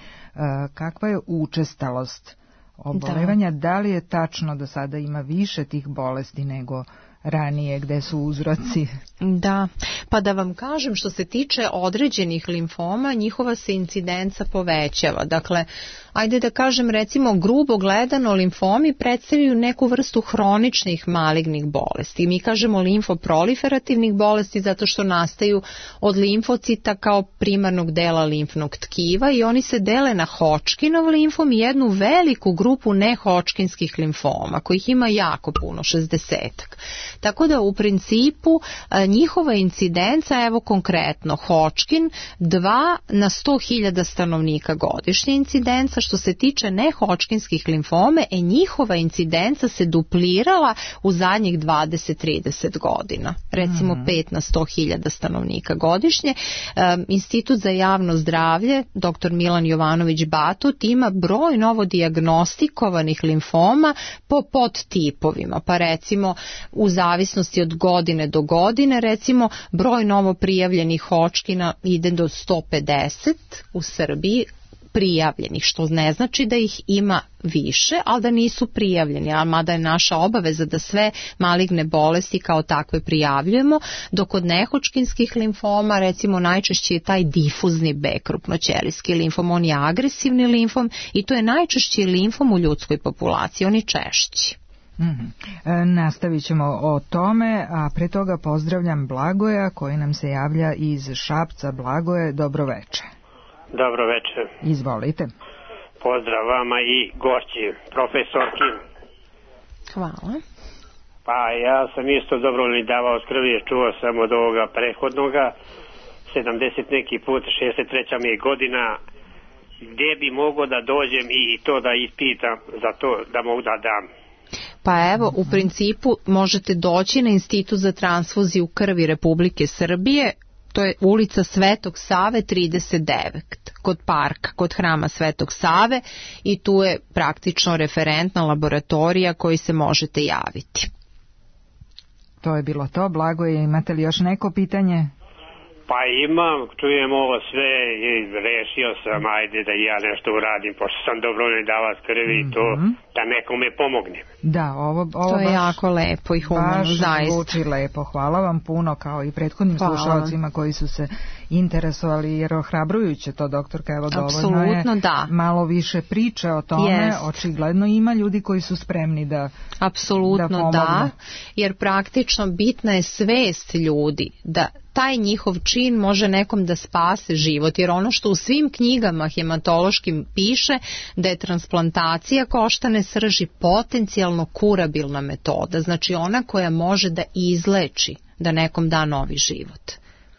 kakva je učestalost obolevanja? Da. da li je tačno da sada ima više tih bolesti nego ranije, gde su uzroci? Da, pa da vam kažem, što se tiče određenih limfoma, njihova se incidenca povećava. Dakle, ajde da kažem, recimo, grubo gledano, limfomi predstavljaju neku vrstu hroničnih malignih bolesti. Mi kažemo limfoproliferativnih bolesti zato što nastaju od limfocita kao primarnog dela limfnog tkiva i oni se dele na Hodgkinov limfom i jednu veliku grupu nehodgkinskih limfoma, kojih ima jako puno, šezdesetak. Tako da u principu njihova incidenca, evo konkretno Hodgkin, dva na sto hiljada stanovnika godišnje incidenca. Što se tiče nehodgkinskih limfome, e njihova incidenca se duplirala u zadnjih dvadeset do trideset godina. Recimo mm. pet na sto hiljada stanovnika godišnje. E, Institut za javno zdravlje, doktor Milan Jovanović Batut, ima broj novodiagnostikovanih limfoma po podtipovima. Pa recimo u zavisnosti od godine do godine, recimo broj novo prijavljenih Hodgkina ide do sto pedeset u Srbiji, prijavljenih, što ne znači da ih ima više, ali da nisu prijavljeni, a mada je naša obaveza da sve maligne bolesti kao takve prijavljujemo, dok kod nehodgkinskih limfoma, recimo, najčešće je taj difuzni B krupnoćelijski limfom, on je agresivni limfom i to je najčešći limfom u ljudskoj populaciji, on je češći. Mm-hmm. E, nastavit ćemo o tome, a pre toga pozdravljam Blagoja koji nam se javlja iz Šapca. Blagoje, dobroveče. Dobro večer. Izvolite. Pozdrav vama i gošći, profesorki. Hvala. Pa ja sam isto dobrovoljni davao krvi, čuo sam od ovoga prethodnoga, sedamdeset neki put, šezdeset treća mi je godina, gdje bi mogo da dođem i to da ispitam za to da mogu da dam. Pa evo, u principu možete doći na Institut za transfuziju krvi Republike Srbije. To je ulica Svetog Save trideset devet, kod parka, kod hrama Svetog Save, i tu je praktično referentna laboratorija koji se možete javiti. To je bilo to. Blagoje, imate li još neko pitanje? Pa imam, čujem ovo sve i rešio sam, ajde da ja nešto uradim, pošto sam dobrovoljni davac krvi i to, mm-hmm. da nekome pomognem. Da, ovo, ovo to je baš, jako lepo i humano, zaista. Baš zvuči lepo. Hvala vam puno, kao i prethodnim Hvala. slušalcima koji su se interesovali, jer ohrabrujuće to, doktorka, evo dovoljno je da. malo više priče o tome, yes. očigledno ima ljudi koji su spremni da Apsolutno da, da, jer praktično bitna je svest ljudi da taj njihov čin može nekom da spase život, jer ono što u svim knjigama hematološkim piše da je transplantacija koštane srži potencijalno kurabilna metoda, znači ona koja može da izleči, da nekom da novi život.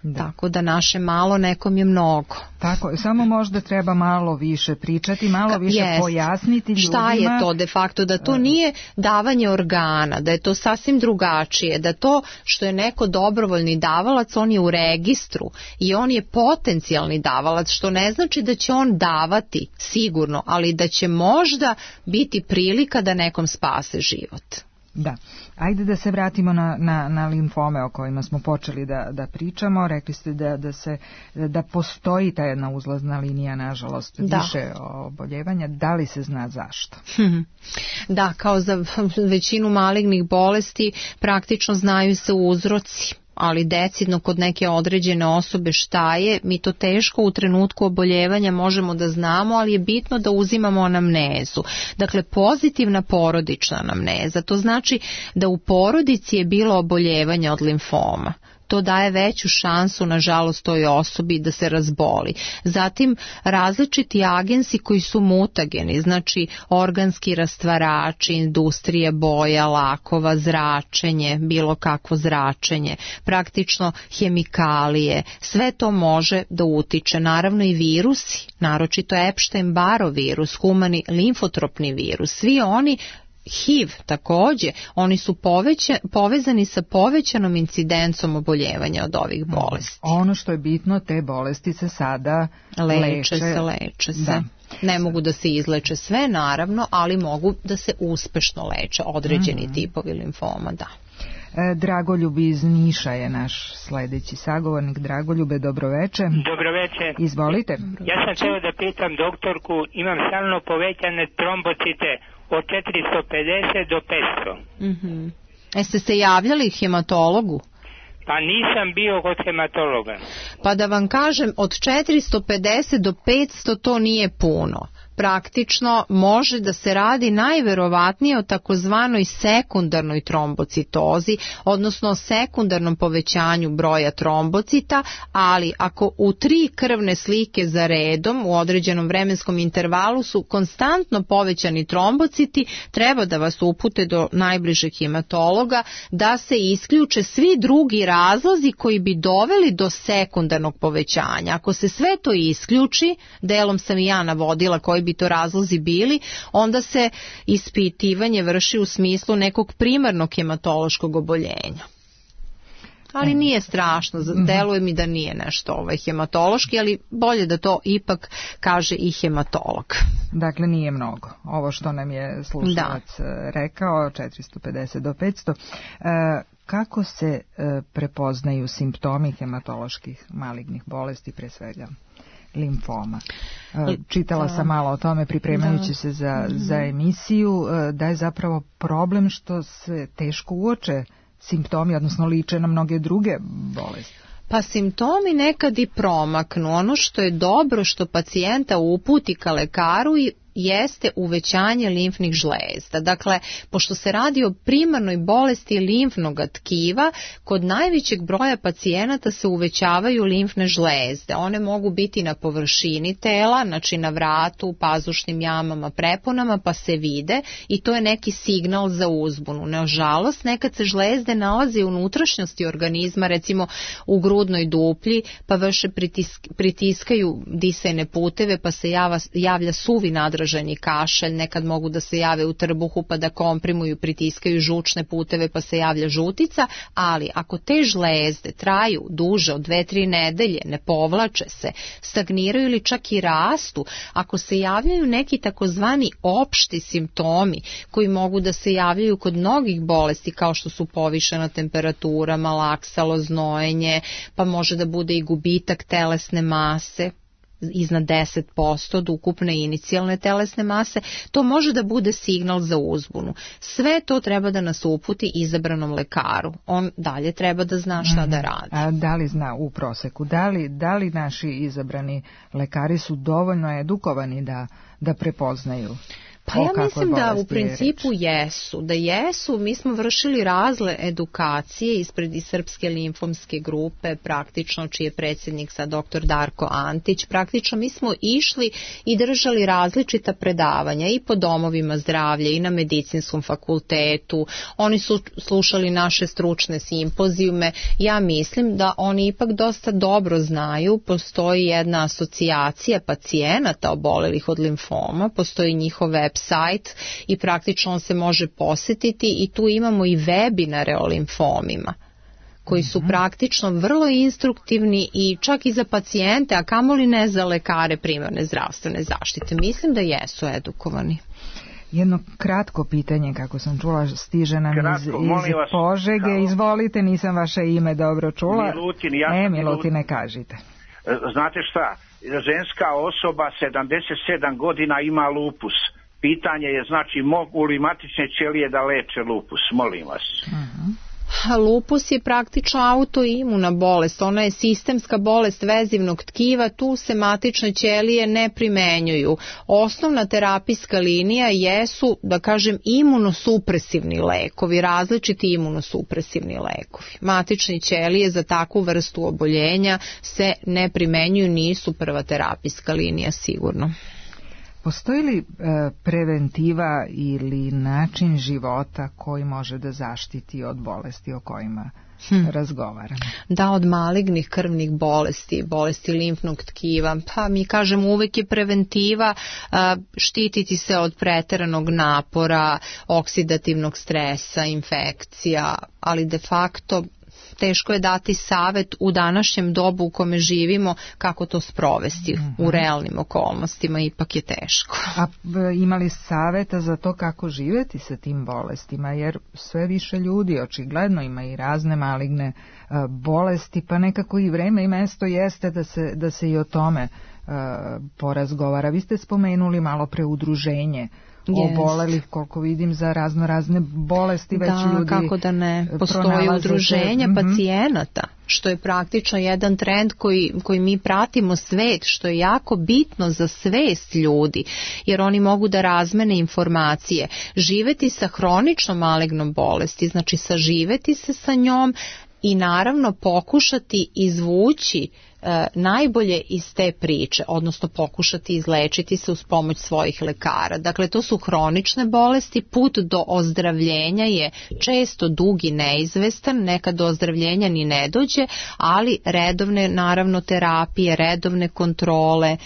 Da. Tako da naše malo nekom je mnogo. Tako, samo možda treba malo više pričati, malo više yes. pojasniti ljudima. Šta je to de facto, da to nije davanje organa, da je to sasvim drugačije, da to što je neko dobrovoljni davalac, on je u registru i on je potencijalni davalac, što ne znači da će on davati sigurno, ali da će možda biti prilika da nekom spase život. Da. Ajde da se vratimo na, na, na limfome o kojima smo počeli da, da pričamo. Rekli ste da, da, se, da postoji ta jedna uzlazna linija, nažalost, da. više oboljevanja. Da li se zna zašto? Da, kao za većinu malignih bolesti praktično znaju se uzroci, ali decidno kod neke određene osobe šta je, mi to teško u trenutku oboljevanja možemo da znamo, ali je bitno da uzimamo anamnezu. Dakle, pozitivna porodična anamneza, to znači da u porodici je bilo oboljevanja od limfoma. to daje veću šansu, nažalost, toj osobi da se razboli. Zatim, različiti agensi koji su mutageni, znači organski rastvarači, industrije boja, lakova, zračenje, bilo kakvo zračenje, praktično hemikalije, sve to može da utiče. Naravno i virusi, naročito Epstein-Barrov virus, humani limfotropni virus, svi oni, H I V takođe, oni su poveća, povezani sa povećanom incidencom oboljevanja od ovih bolesti. Ono što je bitno, te bolesti se sada leče. Leče se, leče se. Da. Ne mogu da se izleče sve, naravno, ali mogu da se uspešno leče određeni mm-hmm. tipovi limfoma, da. Dragoljub iz Niša je naš sledeći sagovornik. Dragoljube, dobroveče. Dobroveče. Izvolite. Ja sam htio da pitam doktorku, imam stalno povećane trombocite od četiristo pedeset do petsto. Mm-hmm. Jeste se javljali hematologu? Pa nisam bio kod hematologa. Pa da vam kažem, od četiristo pedeset do petsto to nije puno. Praktično može da se radi najverovatnije o takozvanoj sekundarnoj trombocitozi, odnosno sekundarnom povećanju broja trombocita, ali ako u tri krvne slike za redom u određenom vremenskom intervalu su konstantno povećani trombociti, treba da vas upute do najbližeg hematologa da se isključe svi drugi razlozi koji bi doveli do sekundarnog povećanja. Ako se sve to isključi, delom sam i ja navodila koji bi to razlozi bili, onda se ispitivanje vrši u smislu nekog primarnog hematološkog oboljenja. Ali nije strašno, deluje mi da nije nešto ovaj hematološki, ali bolje da to ipak kaže i hematolog. Dakle, nije mnogo. Ovo što nam je slušalac da. rekao, četiristo pedeset do petsto. Kako se prepoznaju simptomi hematoloških malignih bolesti, pre svega limfoma? Čitala sam malo o tome pripremajući se za, za emisiju, da je zapravo problem što se teško uoče simptomi, odnosno liče na mnoge druge bolesti. Pa simptomi nekad i promaknu. Ono što je dobro što pacijenta uputi ka lekaru i jeste uvećanje limfnih žlezda. Dakle, pošto se radi o primarnoj bolesti limfnog tkiva, kod najvećeg broja pacijenata se uvećavaju limfne žlezde. One mogu biti na površini tela, znači na vratu, pazušnim jamama, preponama, pa se vide i to je neki signal za uzbunu. Nažalost, nekad se žlezde nalaze u unutrašnjosti organizma, recimo u grudnoj duplji, pa vrše pritisk, pritiskaju disajne puteve, pa se java, javlja suvi nadražaj kašalj, nekad mogu da se jave u trbuhu pa da komprimuju, pritiskaju žučne puteve pa se javlja žutica, ali ako te žlezde traju duže od dve tri nedelje, ne povlače se, stagniraju ili čak i rastu, ako se javljaju neki takozvani opšti simptomi koji mogu da se javljaju kod mnogih bolesti kao što su povišena temperatura, malaksalo, znojenje, pa može da bude i gubitak telesne mase, iznad deset posto od ukupne inicijalne telesne mase, to može da bude signal za uzbunu. Sve to treba da nas uputi izabranom lekaru. On dalje treba da zna šta da radi. A da li zna u proseku? Da li, da li naši izabrani lekari su dovoljno edukovani da, da prepoznaju? Pa ja mislim da u principu jesu, da jesu, mi smo vršili razne edukacije ispred i Srpske limfomske grupe, praktično čiji je predsjednik sad doktor Darko Antić, praktično mi smo išli i držali različita predavanja i po domovima zdravlja i na medicinskom fakultetu, oni su slušali naše stručne simpozijume, ja mislim da oni ipak dosta dobro znaju, postoji jedna asocijacija pacijenata obolelih od limfoma, postoji njihov web sajt i praktično on se može posjetiti i tu imamo i webinare o limfomima koji su praktično vrlo instruktivni i čak i za pacijente, a kamoli ne za lekare primarne zdravstvene zaštite. Mislim da jesu edukovani. Jedno kratko pitanje, kako sam čula, stiže nam kratko, iz, iz vas, Požege. Kao... Izvolite, nisam vaše ime dobro čula. Milutin, ja e, Milutine, kažite. Znate šta, ženska osoba sedamdeset sedam godina ima lupus. Pitanje je, znači, mogu li matične ćelije da leče lupus, molim vas. Uh-huh. Lupus je praktično autoimuna bolest, ona je sistemska bolest vezivnog tkiva, tu se matične ćelije ne primenjuju. Osnovna terapijska linija jesu, da kažem, imunosupresivni lekovi, različiti imunosupresivni lekovi. Matične ćelije za takvu vrstu oboljenja se ne primenjuju, nisu prva terapijska linija sigurno. Postoji li e, preventiva ili način života koji može da zaštiti od bolesti o kojima hmm. razgovaramo? Da, od malignih krvnih bolesti, bolesti limfnog tkiva, pa mi kažemo uvek je preventiva a, štititi se od preteranog napora, oksidativnog stresa, infekcija, ali de facto teško je dati savet u današnjem dobu u kome živimo kako to sprovesti mm-hmm. u realnim okolnostima, ipak je teško. A imali saveta za to kako živjeti sa tim bolestima, jer sve više ljudi očigledno ima i razne maligne uh, bolesti, pa nekako i vreme i mesto jeste da se, da se i o tome uh, porazgovara. Vi ste spomenuli malo pre udruženje obolelih, koliko vidim, za razno razne bolesti, već da, ljudi kako da ne, postoje udruženja se... pacijenata, što je praktično jedan trend koji, koji mi pratimo svet, što je jako bitno za svest ljudi, jer oni mogu da razmene informacije. Živeti sa hroničnom malignom bolesti, znači saživeti se sa njom i naravno pokušati izvući e, najbolje iz te priče, odnosno pokušati izlečiti se uz pomoć svojih lekara. Dakle, to su hronične bolesti, put do ozdravljenja je često dug i neizvestan, nekad do ozdravljenja ni ne dođe, ali redovne naravno terapije, redovne kontrole,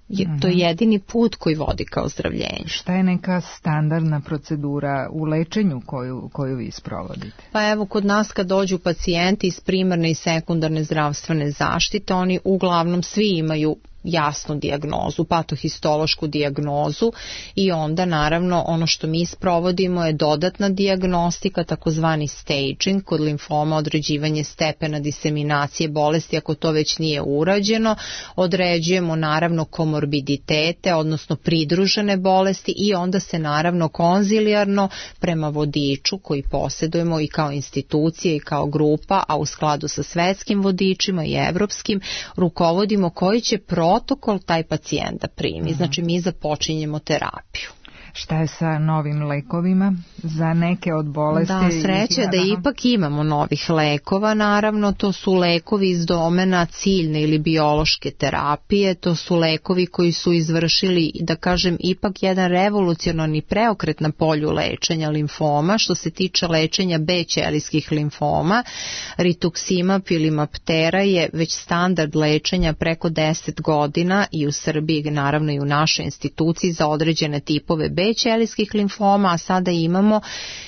je, to je jedini put koji vodi ka ozdravljenju. Šta je neka standardna procedura u lečenju koju, koju vi sprovodite? Pa evo, kod nas kad dođu pacijenti iz primarne i sekundarne zdravstvene zaštite, oni uglavnom svi imaju jasnu dijagnozu, patohistološku dijagnozu i onda naravno ono što mi sprovodimo je dodatna dijagnostika, takozvani staging, kod limfoma određivanje stepena diseminacije bolesti ako to već nije urađeno, određujemo naravno komorbiditete, odnosno pridružene bolesti i onda se naravno konzilijarno prema vodiču koji posjedujemo i kao institucije i kao grupa, a u skladu sa svetskim vodičima i evropskim, rukovodimo koji će protokol taj pacijent da primi. Znači mi započinjemo terapiju. Šta je sa novim lekovima za neke od bolesti? Da, sreće da ipak imamo novih lekova, naravno to su lekovi iz domena ciljne ili biološke terapije, to su lekovi koji su izvršili, da kažem, ipak jedan revolucionarni preokret na polju lečenja limfoma, što se tiče lečenja B ćelijskih limfoma. Rituximab ili Maptera je već standard lečenja preko deset godina i u Srbiji, naravno i u našoj instituciji za određene tipove B ćelijskih limfoma, a sada imamo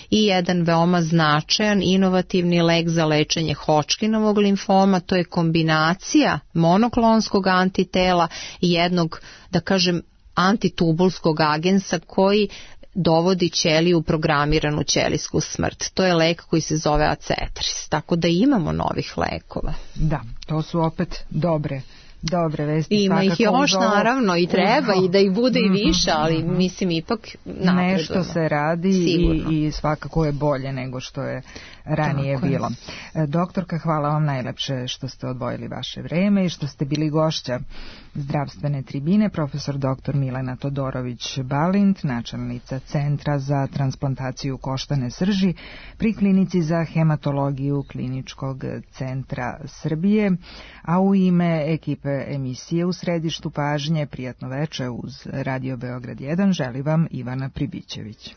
i jedan veoma značajan inovativni lek za lečenje Hodgkinovog limfoma, to je kombinacija monoklonskog antitela i jednog, da kažem, antitubulskog agensa koji dovodi ćeliju u programiranu ćelijsku smrt. To je lek koji se zove Acetris, tako da imamo novih lekova. Da, to su opet dobre Dobre vesti. Ima ih još ovo, naravno i treba uzo. I da ih bude i više, ali mm-hmm. mislim ipak napredujemo. Nešto se radi i, i svakako je bolje nego što je ranije tako bilo. Je. Doktorka, hvala vam najlepše što ste odvojili vaše vreme i što ste bili gošća zdravstvene tribine, profesor doktor Milena Todorović-Balint, načelnica Centra za transplantaciju koštane srži pri Klinici za hematologiju Kliničkog centra Srbije, a u ime ekipe emisije U središtu pažnje, prijatno veče uz Radio Beograd jedan, želi vam Ivana Pribićević.